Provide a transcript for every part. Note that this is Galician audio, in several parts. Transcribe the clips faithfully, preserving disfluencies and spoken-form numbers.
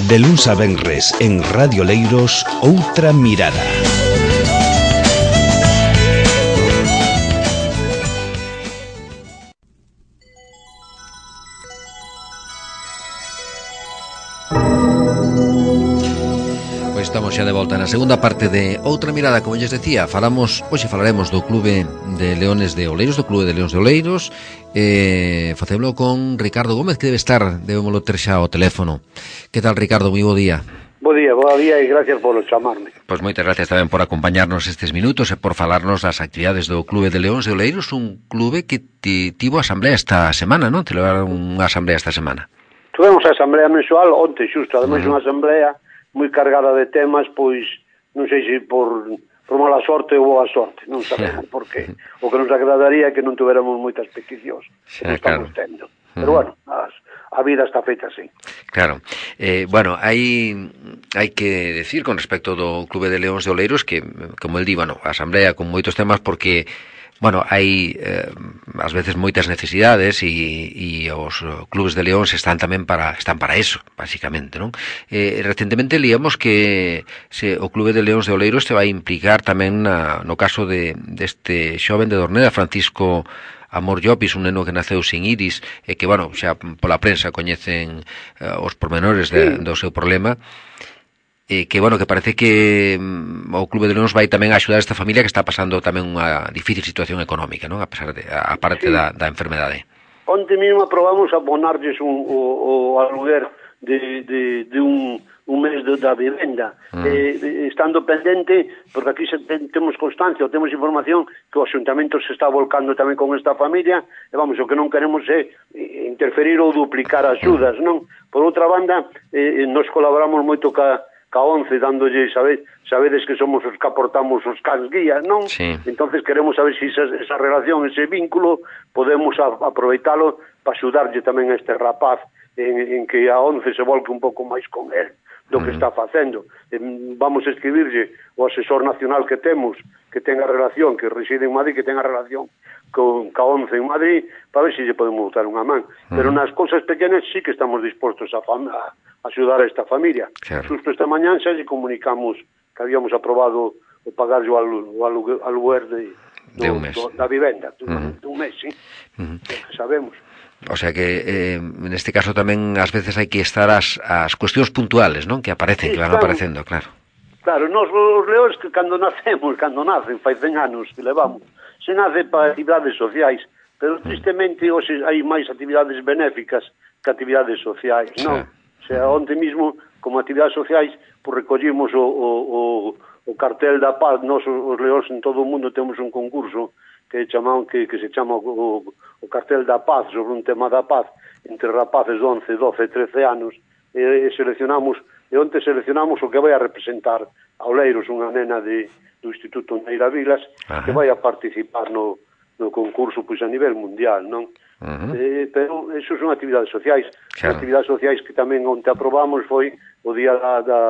De luns a venres en Radio Leiros, Outra Mirada. Estamos xa de volta na segunda parte de Outra Mirada. Como lles decía, falamos, hoxe falaremos do Clube de Leones de Oleiros, do Clube de Leóns de Oleiros. eh, Facémolo con Ricardo Gómez, que debe estar, debémolo ter xa ao teléfono. Que tal, Ricardo? Moi bo día. Bo día, bo día e gracias por chamarme. Pois moitas gracias tamén por acompañarnos estes minutos e por falarnos das actividades do Clube de Leóns de Oleiros, un clube que tivo asamblea esta semana, non? Te levaron unha asamblea esta semana. Tuvemos a asamblea mensual onte, xusto, ademais uh -huh. unha asamblea moi cargada de temas, pois non sei se por, por mala sorte ou boa sorte, non sabemos por qué. O que nos agradaría é que non tuviéramos moitas peticións, que non estamos tendo. Pero bueno, as, a vida está feita así. Claro. Eh, bueno, hai hai que decir con respecto do Clube de Leóns de Oleiros que, como el di, bueno, a asamblea con moitos temas porque bueno, hai eh, ás veces moitas necesidades e, e os clubes de Leóns están tamén para están para eso, basicamente, non? Eh, recentemente liamos que se o Clube de Leóns de Oleiros se vai implicar tamén na, no caso de deste xoven de Dorneda, Francisco Amor Llopis, un neno que naceu sin iris e que, bueno, xa pola prensa coñecen uh, os pormenores de, do seu problema. Eh, que, bueno, que parece que mm, o Clube de Leóns vai tamén a axudar a esta familia que está pasando tamén unha difícil situación económica, non? A pesar de, a parte sí. da, da enfermedade. Onte mesmo aprobamos abonarlles un, o, o aluguer de, de, de un, un mes de, da vivenda. Mm. Eh, estando pendente, porque aquí se ten, temos constancia, temos información que o Axuntamento se está volcando tamén con esta familia, e vamos, o que non queremos é interferir ou duplicar axudas, mm. non? Por outra banda, eh, nos colaboramos moito ca ca once, dándolle, sabe, sabedes que somos os que aportamos os cans guías, non? Sí. Entonces queremos saber se si esa, esa relación, ese vínculo, podemos a, aproveitalo para axudarlle tamén a este rapaz en, en que a once se volque un pouco máis con él do que uh -huh. está facendo. Eh, vamos a escribirlle o asesor nacional que temos, que tenga relación, que reside en Madrid, que tenga relación con ca once en Madrid, para ver se lle podemos botar unha man. Uh -huh. Pero nas cousas pequenas sí que estamos dispostos a, a axudar a esta familia. Claro. Justo esta mañán xa lle comunicamos que habíamos aprobado o pagar o aluguer de, de un mes. Do, da vivenda, de uh -huh. un mes, sí. Uh -huh. Que sabemos. O sea que eh, neste caso tamén ás veces hai que estar as, as cuestións puntuales, non? Que aparecen, sí, que van claro. aparecendo, claro. Claro, nos os leóns que cando nacemos, cando nacen, fai cen anos que levamos, se nace para actividades sociais, pero tristemente hoxe hai máis actividades benéficas que actividades sociais, non? Sí. O sea, onte mismo, como actividades sociais, pues, recollimos o, o, o, o cartel da paz. Nos, os leóns en todo o mundo, temos un concurso que chamamos, que, que se chama o, o cartel da paz, sobre un tema da paz, entre rapaces de once, doce, trece anos, e, e seleccionamos, e onte seleccionamos o que vai a representar a Oleiros, unha nena de, do Instituto Neira Vilas, Ajá. que vai a participar no, no concurso pois, a nivel mundial, non? Uh -huh. eh, pero eso son actividades sociais. Claro. Actividades sociais que tamén onte aprobamos foi o día da, da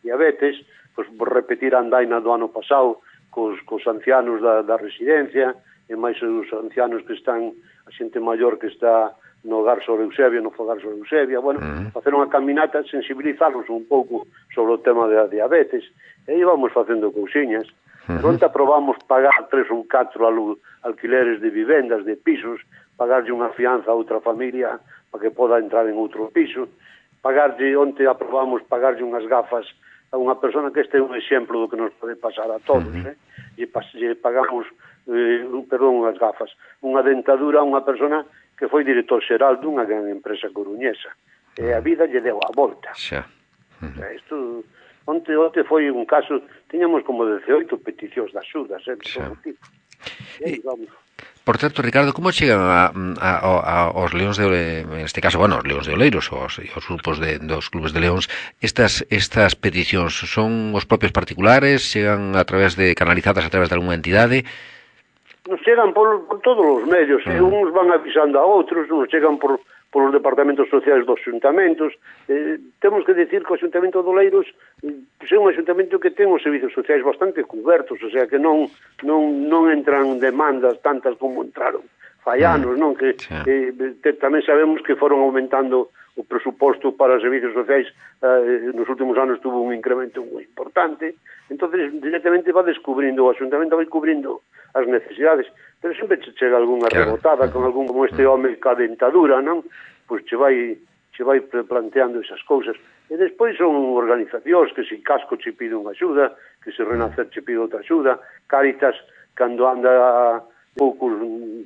diabetes, pois repetir a andaina do ano pasado cos, cos ancianos da, da residencia, e máis os ancianos que están, a xente maior que está no hogar sobre Eusebia, no fogar sobre Eusebia, bueno, uh -huh. facer unha caminata, sensibilizarlos un pouco sobre o tema da diabetes, e íbamos facendo cousiñas. Uh -huh. Onte aprobamos pagar tres ou catro alquileres de vivendas, de pisos, pagarlle unha fianza a outra familia para que poda entrar en outro piso, pagarlle, onte aprobamos pagarlle unhas gafas a unha persona, que este é un exemplo do que nos pode pasar a todos, uh -huh. eh? E, e pagamos, eh, perdón, unhas gafas, unha dentadura a unha persona que foi director xeral dunha gran empresa coruñesa, e a vida lle deu a volta. Xa. Uh -huh. Isto, onte, onte foi un caso, tiñamos como dezaoito peticións de axudas, eh, de todo tipo. E aí vamos. Por certo, Ricardo, como chegan a, a, a, aos leóns de, en este caso, bueno, os leóns de Oleiros, os, os grupos de, dos clubes de leóns, estas estas peticións son os propios particulares, chegan a través de, canalizadas a través de alguna entidade? Nos chegan por, por todos os medios, uh -huh. e uns van avisando a outros, nos chegan por por os departamentos sociais dos xuntamentos. Eh, temos que decir que o Xuntamento de Oleiros pues, é un xuntamento que ten os servicios sociais bastante cubertos, o sea que non non non entran demandas tantas como entraron fai anos, non? Que sí. eh, te, tamén sabemos que foron aumentando o presuposto para os servicios sociais, eh, nos últimos anos tuvo un incremento moi importante, entonces directamente va descubrindo, o Asuntamento vai cubrindo as necesidades, pero sempre che chega algunha claro. rebotada con algún como este home ca dentadura, non? Pois che vai che vai planteando esas cousas. E despois son organizacións que se Casco che pide unha axuda, que se Renacer che pide outra axuda, Cáritas, cando anda poucos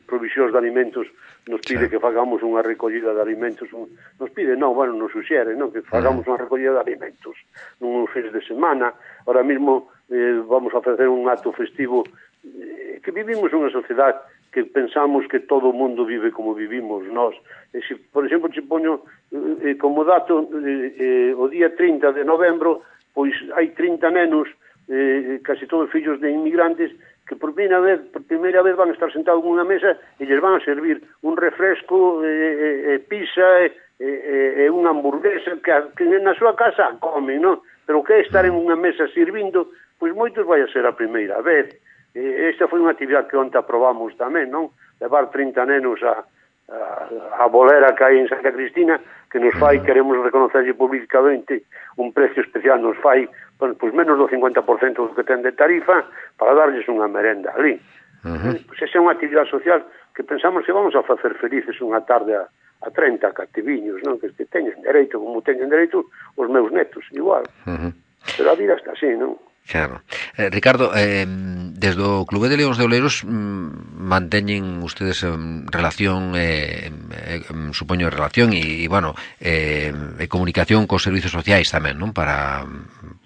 provisións de alimentos, nos pide sí. que fagamos unha recollida de alimentos, un, nos pide, non, bueno, nos suxere, non, que fagamos unha recollida de alimentos nun fins de semana. Ahora mismo eh, vamos a facer un acto festivo, eh, que vivimos unha sociedade que pensamos que todo o mundo vive como vivimos nós. E se, por exemplo, che poño eh, como dato eh, eh, o día trinta de novembro, pois hai trinta nenos, eh, casi todos fillos de inmigrantes, que por primeira vez, por primeira vez van a estar sentados en unha mesa e lles van a servir un refresco, eh, eh, pizza e eh, eh, unha hamburguesa que, que na súa casa comen, non? Pero que é estar en unha mesa sirvindo, pois moitos vai a ser a primeira vez. Eh, esta foi unha actividade que onte aprobamos tamén, non? Levar trinta nenos a, a, a bolera que hai en Santa Cristina, que nos fai, queremos reconocerlle públicamente, un precio especial nos fai, bueno, pois menos do cincuenta por cento do que ten de tarifa, para darlles unha merenda ali. Uh-huh. Eh, pois esa é unha actividade social que pensamos que vamos a facer felices unha tarde a, a treinta cativiños, non? Que, que teñen dereito, como teñen dereito os meus netos, igual. Uh-huh. Pero a vida está así, non? Claro. Eh, Ricardo, eh, desde o Clube de Leóns de Oleiros mm, manteñen ustedes eh, relación, eh, eh, supoño relación e, bueno, eh, e comunicación cos servicios sociais tamén, non? Para...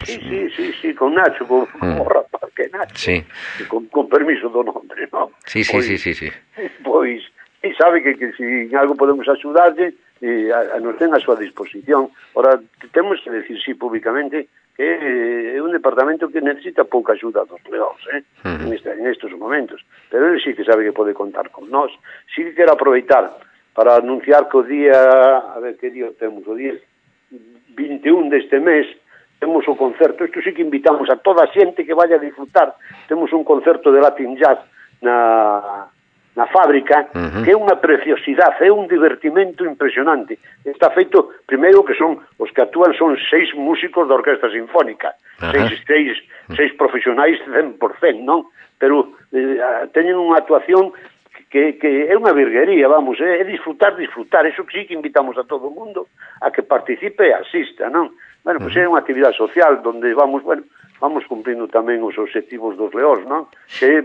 Pues, sí, sí, sí, sí, con Nacho, con, mm. con o rapaz que Nacho, sí. con, con permiso do nombre, non? Sí, sí, pois, sí, sí, sí. Pois, e sabe que, que si en algo podemos axudarlle, eh, a, a nos ten a súa disposición. Ora, temos que decir sí públicamente que é un departamento que necesita pouca axuda dos leóns, eh? Uh-huh. en, este, en estes momentos, pero ele sí que sabe que pode contar con nós. Sí que quero aproveitar para anunciar que o día, a ver que día temos, o día vinte e un deste mes temos o concerto. Isto sí que invitamos a toda a xente que vaya a disfrutar. Temos un concerto de Latin Jazz na na fábrica, uh-huh. que é unha preciosidade, é un divertimento impresionante. Está feito, primeiro, que son os que actúan son seis músicos da Orquesta Sinfónica, uh-huh. seis, seis, seis profesionais cen por cento, non? Pero eh, teñen unha actuación que, que é unha virguería, vamos, é, é disfrutar, disfrutar, eso que sí que invitamos a todo o mundo a que participe e asista, non? Bueno, pois pues uh-huh. é unha actividade social donde vamos, bueno, vamos cumprindo tamén os objetivos dos leóns, non? Que é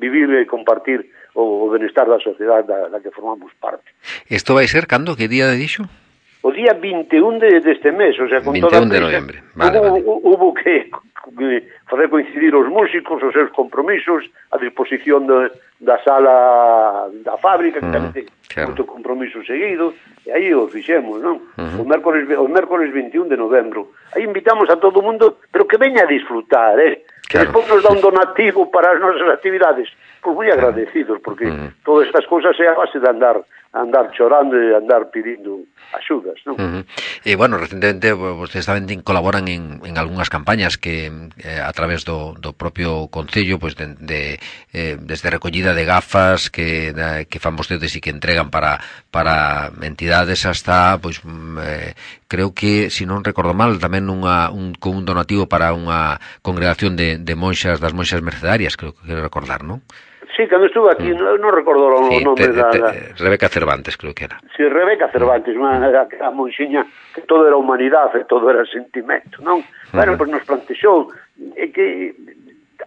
vivir e compartir o benestar da sociedade da, da que formamos parte. Isto vai ser cando? Que día de dixo? O día vinte e un de, deste mes, o sea, con vinte e un de novembro. Vale, hubo, vale. Hubo que, que facer coincidir os músicos, os seus compromisos, a disposición de, da sala da fábrica, que uh-huh. tamén ten claro. moito compromiso seguido, e aí o fixemos, non? Uh-huh. O mércoles, o mércoles vinte e un de novembro. Aí invitamos a todo o mundo, pero que veña a disfrutar, eh? Claro. Que despois nos dá un donativo para as nosas actividades. Pois moi agradecidos, porque uh-huh. todas estas cousas é a base de andar andar chorando e andar pedindo axudas, non? Uh-huh. E, bueno, recentemente vostedes tamén colaboran en, en algunhas campañas que eh, a través do, do propio Concello, pues, de, de, eh, desde recollida de gafas que, de, que fan vostedes e que entregan para, para entidades hasta, pois, eh, creo que, se non recordo mal, tamén unha, un, con un donativo para unha congregación de, de monxas, das monxas mercedarias, creo que quero recordar, non? Sí, cando estuve aquí, mm. non no recordo o sí, nome te, da, te, da... Rebeca Cervantes, creo que era. Sí, Rebeca Cervantes, unha a monxiña que todo era humanidade, todo era sentimento, non? Uh-huh. Bueno, pois pues nos plantexou é que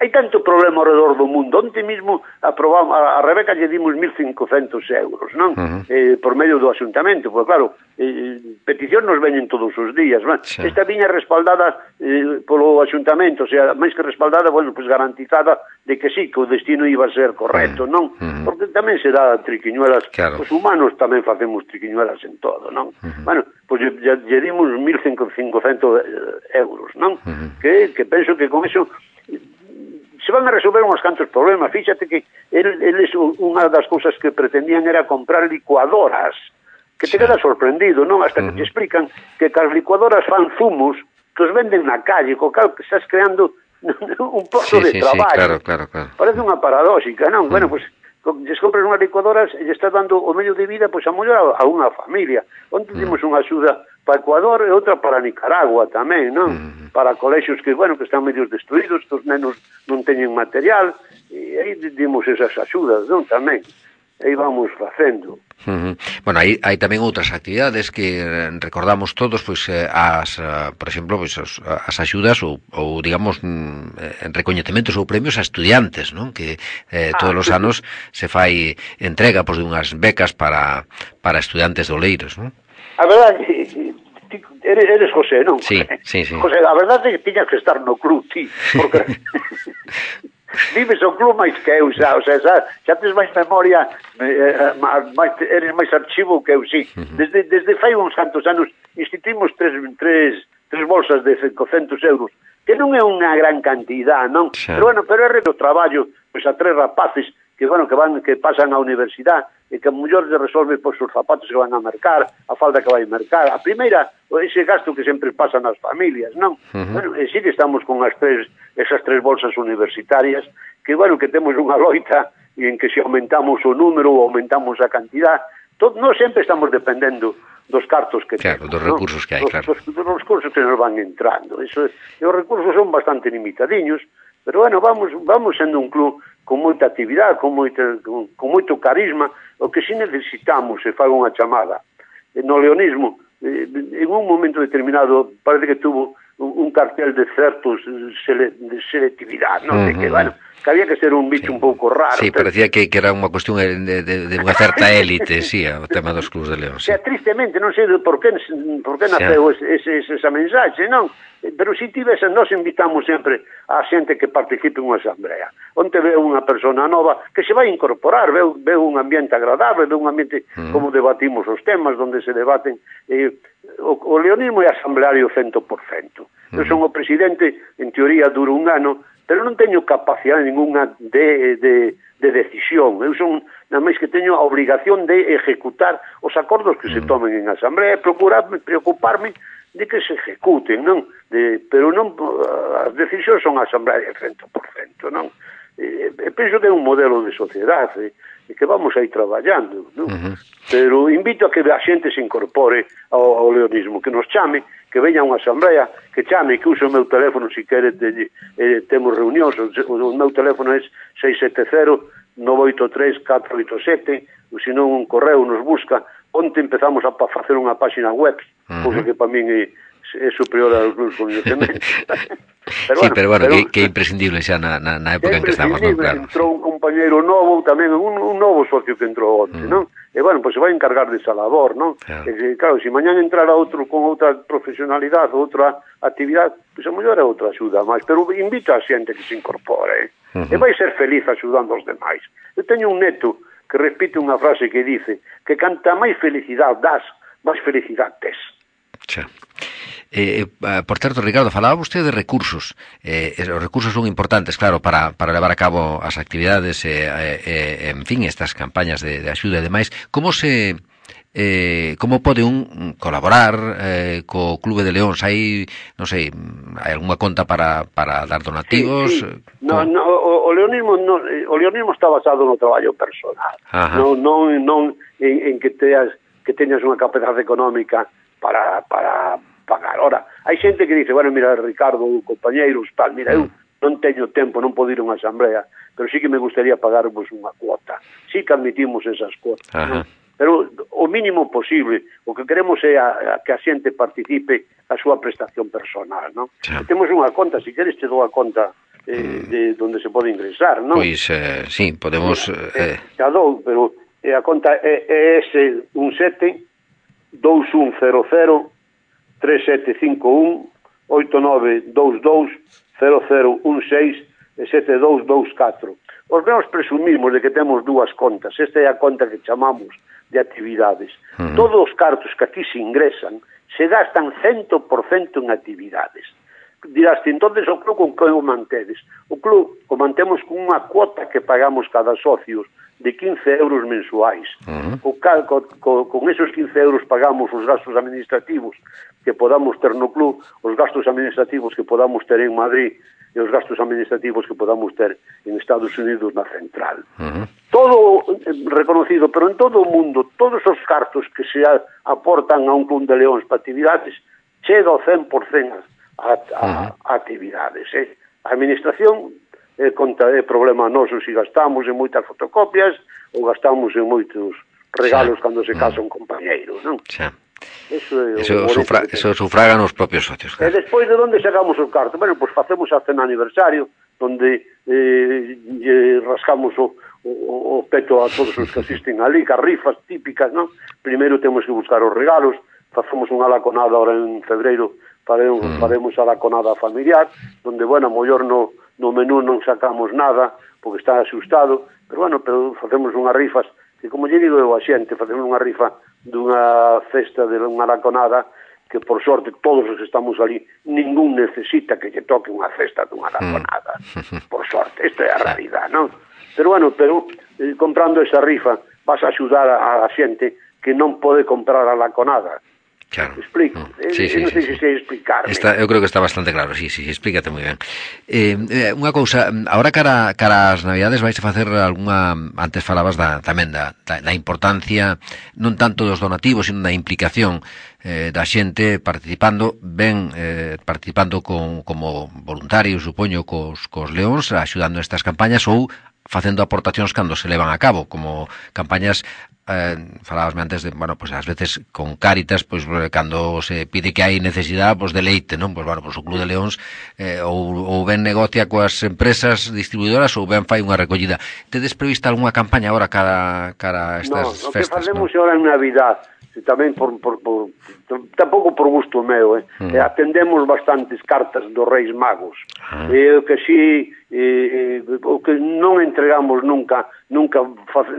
hai tanto problema ao redor do mundo. Onte mismo aprobamos, a, a Rebeca lle dimos mil cincocentos euros, non? Uh-huh. Eh, por medio do Asuntamento, porque claro, eh, peticións nos veñen todos os días, non? Sí. Esta viña respaldada eh, polo Asuntamento, o sea, máis que respaldada, bueno, pues garantizada de que sí, que o destino iba a ser correcto, uh-huh. non? Uh-huh. Porque tamén se dá triquiñuelas, claro. Os humanos tamén facemos triquiñuelas en todo, non? Uh-huh. Bueno, pois pues lle, lle dimos mil cincocentos euros, non? Uh-huh. Que, que penso que con eso se van a resolver uns cantos problemas. Fíxate que eles, unha das cousas que pretendían era comprar licuadoras, que te quedas sorprendido, non? Hasta uh-huh. que te explican que as licuadoras fan zumos que os venden na calle, co cal que estás creando un posto sí, de sí, traballo. Sí, claro, claro, claro. Parece unha paradóxica, non? Uh-huh. Bueno, pues lles compras unhas licuadoras e lle estás dando o medio de vida pois a mellor a unha familia. Onde temos unha axuda para Ecuador e outra para Nicaragua tamén, non? Mm. Para colexios que, bueno, que están medios destruídos, que os nenos non teñen material, e aí dimos esas axudas, non? Tamén. Aí vamos facendo. Uh-huh. Bueno, hai, hai tamén outras actividades que recordamos todos, pois eh, as, uh, por exemplo, pois as, as axudas ou, ou digamos mm, recoñecementos ou premios a estudiantes, non? Que eh, todos ah, os anos se fai entrega pois dunhas becas para para estudantes de Oleiros, non? A verdade, eres, eres José, non? Sí, sí, sí. José, a verdade é que tiñas que estar no club, ti, porque vives o club máis que eu, xa, o sea, xa, xa tes máis memoria, eh, máis, eres máis archivo que eu, sí. Desde, desde fai uns cantos anos instituímos tres, tres, tres bolsas de cincocentos euros, que non é unha gran cantidad, non? Sí. Pero bueno, pero é o traballo, pois a tres rapaces que, bueno, que van, que pasan á universidade e que a mellor se resolve pois os zapatos que van a mercar, a falda que vai mercar, a primeira, ese gasto que sempre pasa nas familias, non? Uh-huh. Bueno, e sí que estamos con as tres, esas tres bolsas universitarias, que, bueno, que temos unha loita e en que se aumentamos o número ou aumentamos a cantidad, todo, non sempre estamos dependendo dos cartos que claro, temos, dos recursos, ¿no? Que hai, dos, claro. Dos, dos recursos que nos van entrando. Eso, e os recursos son bastante limitadiños, pero, bueno, vamos, vamos sendo un club con moita actividade, con, moita, con, con moito carisma. O que si necesitamos, se faga unha chamada, no leonismo, eh, en un momento determinado, parece que tuvo un, un cartel de certos sele, de selectividade, non? Uh-huh. De que, bueno, que había que ser un bicho sí. un pouco raro. Sí, parecía que, que era unha cuestión de, de, de unha certa élite, sí, o tema dos clubs de León. Sí. O sea, tristemente, non sei por que, por que naceu sí. ese, ese, esa mensaxe, non? Pero si tivesen, nós invitamos sempre a xente que participe en unha asamblea, onde ve unha persona nova que se vai incorporar, ve, ve un ambiente agradable, ve un ambiente mm. como debatimos os temas, onde se debaten. Eh, o, o leonismo é asambleario cento por cento. Mm. Eu son o presidente, en teoría duro un ano, pero non teño capacidade ninguna de, de, de decisión. Eu son, nada máis que teño a obrigación de ejecutar os acordos que mm. se tomen en asamblea e procurarme, preocuparme de que se ejecuten, non? De, pero non, as decisións son a asamblea de cento por cento, non? E, e penso que é un modelo de sociedade e que vamos a ir traballando, non? Uh-huh. Pero invito a que a xente se incorpore ao, ao leonismo, que nos chame, que veña a unha asamblea, que chame, que use o meu teléfono se quere, te, eh, temos reunións, o, o meu teléfono é seis sete cero, nove oito tres, catro oito sete, ou senón un correo nos busca. Onte empezamos a facer unha página web, uh-huh. cousa que para min é, é superior aos meus conhecementos. Pero sí, bueno, pero bueno, pero, que, que é imprescindible xa na, na, na época en que estamos, non? Claro. Entrou un compañeiro novo tamén, un, un novo socio que entrou onte, uh-huh. non? E, bueno, pois pues se vai encargar desa labor, non? Claro, e, claro, se mañán entrara outro con outra profesionalidade, outra actividade, pois pues a mellor é outra axuda máis, pero invito a xente que se incorpore, eh? uh-huh. e vai ser feliz axudando aos demais. Eu teño un neto que repite unha frase que dice que canta máis felicidade das, máis felicidade tes. Xa. Eh, por certo, Ricardo, falaba vostede de recursos. Eh, os recursos son importantes, claro, para, para levar a cabo as actividades, eh, eh, en fin, estas campañas de, de axuda e demais. Como se... Eh, como pode un colaborar eh, co Clube de Leóns? Hai, non sei, hai algunha conta para, para dar donativos? Sí, sí. No, no, o, o leonismo no, o leonismo está basado no traballo personal. Non, non, non en, en que teas que teñas unha capacidade económica para, para pagar. Ora, hai xente que dice, bueno, mira, Ricardo, compañeiros, tal, mira, eu non teño tempo, non podo ir a unha asamblea, pero sí que me gustaría pagarvos unha cuota. Sí que admitimos esas cuotas, non? Pero o mínimo posible, o que queremos é a, a que a xente participe a súa prestación personal, non? Sí. Temos unha conta, se queres te dou a conta eh, de onde se pode ingresar, non? Pois, eh, sí, podemos... Eh, eh, te a dou, pero eh, a conta é E S un sete dous un cero cero tres sete cinco un oito nove dous dous cero cero un seis sete dous dous catro. Os menos presumimos de que temos dúas contas. Esta é a conta que chamamos de actividades. Uh-huh. Todos os cartos que aquí se ingresan se gastan cento por cento en actividades. Dirás, entonces o club con que o mantedes? O club o mantemos con unha cuota que pagamos cada socios de quince euros mensuais. Uh-huh. O cal, co, co, con esos quince euros pagamos os gastos administrativos que podamos ter no club, os gastos administrativos que podamos ter en Madrid, e os gastos administrativos que podamos ter en Estados Unidos na central. Uh-huh. Todo reconocido, pero en todo o mundo, todos os cartos que se aportan a un club de leóns para actividades, chega ao cen por cento a, a, uh-huh. a actividades. Eh? A administración é, conta, é problema noso se gastamos en moitas fotocopias ou gastamos en moitos regalos sí. cando se casa un compañeiro, non? Sí. Eso, é eso, sufra, eso sufragan os propios socios. Claro. E despois de onde sacamos os cartos? Bueno, pois pues facemos a cena aniversario, onde eh, eh, rascamos o, o, o peto a todos os que asisten ali, cas rifas típicas, non? Primeiro temos que buscar os regalos, facemos unha laconada ahora en febreiro, faremos, mm. faremos a laconada familiar, onde, bueno, mellor no, no menú non sacamos nada, porque está asustado, pero, bueno, pero facemos unhas rifas, que, como lle digo eu a xente, facemos unha rifa dunha festa de unha laconada que, por sorte, todos os que estamos ali, ningún necesita que lle toque unha festa dunha laconada. Mm. Por sorte, esta é a realidad, non? Pero, bueno, pero eh, comprando esa rifa vas a axudar a, a xente que non pode comprar a laconada. Claro. Explico. Sí, sí, non sei sí, se sei explicarme. Está, eu creo que está bastante claro, sí, sí, explícate moi ben. Eh, eh, unha cousa, ahora cara, cara as Navidades vais a facer algunha, antes falabas da, tamén da, da, da importancia, non tanto dos donativos, sino da implicación eh, da xente participando, ben eh, participando con, como voluntarios, supoño, cos, cos leóns, axudando estas campañas ou facendo aportacións cando se levan a cabo, como campañas eh, falábasme antes de, bueno, pues ás veces con Cáritas, pois pues, cando se pide que hai necesidade, pois pues, de leite, non? Pois pues, bueno, pues, o Club de Leóns eh, ou, ou ben negocia coas empresas distribuidoras ou ben fai unha recollida. Tedes prevista algunha campaña agora cara, cara a estas no, festas? No, o que facemos ¿no? agora en Navidad, tamén por, por, por tampouco por gusto meu, eh. Mm. eh, atendemos bastantes cartas dos Reis Magos. Ah. Eh, o que si eh, o que non entregamos nunca, nunca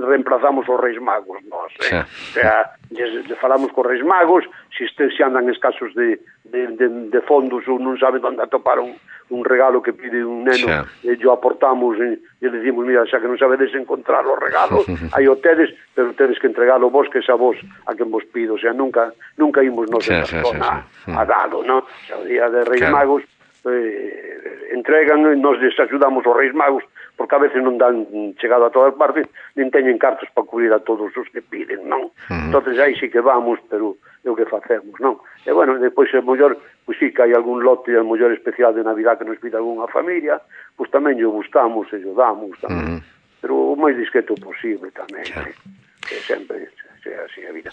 reemplazamos os Reis Magos, nós, eh. Sí. O sea, les, les falamos cos Reis Magos, se si, si andan escasos de, de, de, de fondos ou non saben onde atopar un, un regalo que pide un neno, sí. e yo aportamos e, e le decimos, mira, xa que non sabedes encontrar os regalos, aí o tedes, pero tedes que entregalo vos, que xa vos a quen vos pido, o sea, nunca nunca imos nos sí, en persona sí, sí, sí. a dalo, ¿no? O sea, o día de Reis claro. Magos eh, entregan e nos les axudamos aos Reis Magos, porque a veces non dan chegado a todas partes, nin teñen cartos para cubrir a todos os que piden, non? Uh-huh. Entonces aí sí que vamos, pero é o que facemos, non? E bueno, depois é mellor, pois sí que hai algún lote a mellor especial de Navidad que nos pida algunha familia, pois tamén lle buscamos e lle damos tamén, uh-huh. pero o máis discreto posible tamén, claro. eh? Que sempre sea así a vida.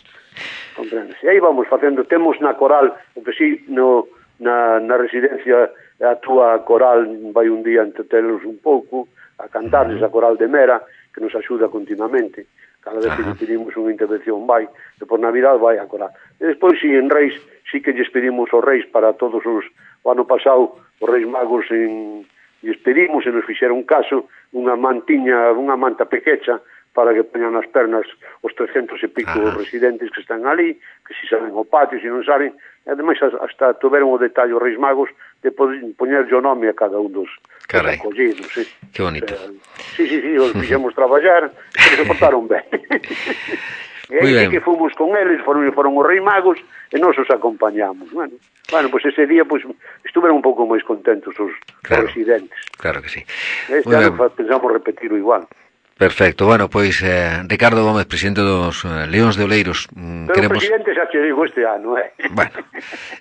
Comprendes? E aí vamos facendo, temos na coral, o que sí, no, na, na residencia a túa coral vai un día entretelos un pouco, a cantarles a coral de Mera, que nos axuda continuamente. Cada vez que pedimos unha intervención vai, e por Navidad vai a coral. E despois, si en Reis, si que lles pedimos aos Reis para todos os, o ano pasado, os Reis Magos en, lles pedimos e nos fixeron caso, unha mantiña, unha manta pequecha, para que poñan nas pernas os trescentos e pico ah. residentes que están ali, que si saben o patio, se non saben, e ademais hasta tuveron o detalle os Reis Magos de poñer o nome a cada un dos, dos acollidos. Sí. Que bonito. O sea, sí, sí, sí, os fixemos traballar, pero se portaron ben. E aí sí que fomos con eles, foron, foron os Reis Magos, e nos os acompañamos. Bueno, bueno, pues ese día pues, estuveron un pouco máis contentos os, claro, os residentes. Claro que sí. Este ano pensamos repetirlo igual. Perfecto, bueno, pois eh, Ricardo Gómez, presidente dos eh, Leóns de Oleiros. Pero queremos... presidente xa che digo este ano, eh? Bueno,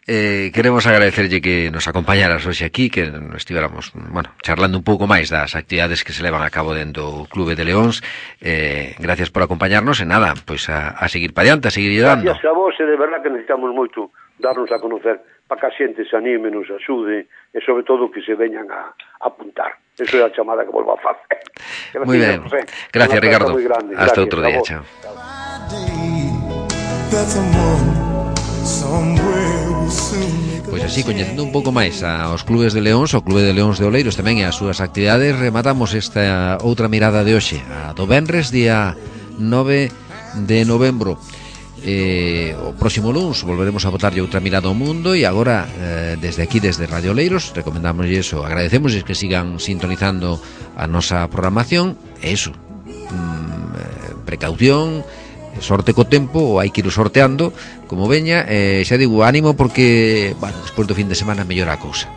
eh, queremos agradecerlle que nos acompañaras hoxe aquí, que estivéramos, bueno, charlando un pouco máis das actividades que se levan a cabo dentro do Clube de Leóns. Eh, gracias por acompañarnos, e nada, pois a, a seguir para diante, a seguir dando. Gracias a vos, e de verdad que necesitamos moito darnos a conocer para que a xente se anime, nos axude, e sobre todo que se veñan a, a apuntar. Eso é a chamada que volvo a facer. Moi ben. Gracias, Ricardo. Hasta outro día, chao. Pois así, coñecendo un pouco máis aos clubes de Leóns, o Clube de Leóns de Oleiros tamén e as súas actividades, rematamos esta outra mirada de hoxe, a do venres, día nove de novembro. Eh, o próximo luns volveremos a botarlle outra mirada ao mundo, e agora eh, desde aquí, desde Radio Oleiros, recomendamos eso, agradecemos que sigan sintonizando a nosa programación, e iso, mm, precaución, sorte co tempo, ou hai que ir sorteando como veña, e xa digo, ánimo porque, bueno, despois do fin de semana mellora a cousa.